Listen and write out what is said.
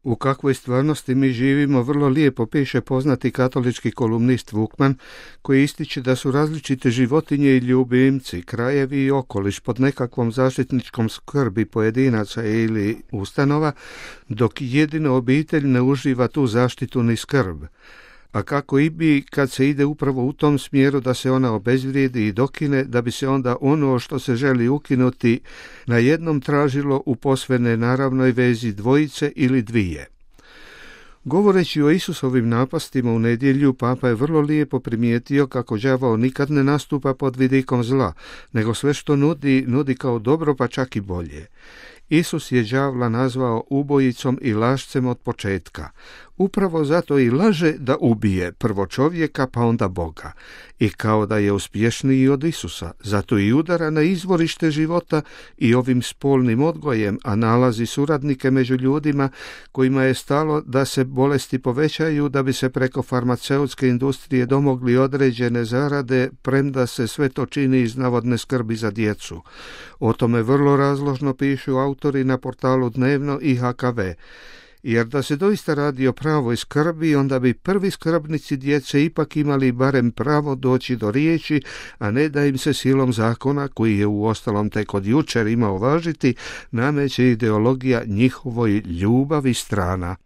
U kakvoj stvarnosti mi živimo vrlo lijepo piše poznati katolički kolumnist Vukman, koji ističe da su različite životinje i ljubimci, krajevi i okoliš pod nekakvom zaštitničkom skrbi pojedinaca ili ustanova, dok jedino obitelj ne uživa tu zaštitu ni skrb. A kako i bi kad se ide upravo u tom smjeru da se ona obezvrijedi i dokine, da bi se onda ono što se želi ukinuti na jednom tražilo u posve nenaravnoj vezi dvojice ili dvije. Govoreći o Isusovim napastima u nedjelju, Papa je vrlo lijepo primijetio kako đavao nikad ne nastupa pod vidikom zla, nego sve što nudi kao dobro, pa čak i bolje. Isus je đavla nazvao ubojicom i lažcem od početka. Upravo zato i laže da ubije prvo čovjeka pa onda Boga. I kao da je uspješniji od Isusa, zato i udara na izvorište života i ovim spolnim odgojem, a nalazi suradnike među ljudima kojima je stalo da se bolesti povećaju da bi se preko farmaceutske industrije domogli određene zarade, premda se sve to čini iz navodne skrbi za djecu. O tome vrlo razložno pišu autori na portalu Dnevno i HKV. Jer da se doista radi o pravoj skrbi, onda bi prvi skrbnici djece ipak imali barem pravo doći do riječi, a ne da im se silom zakona, koji je uostalom tek od jučer imao važiti, nameće ideologija njihovoj ljubavi strana.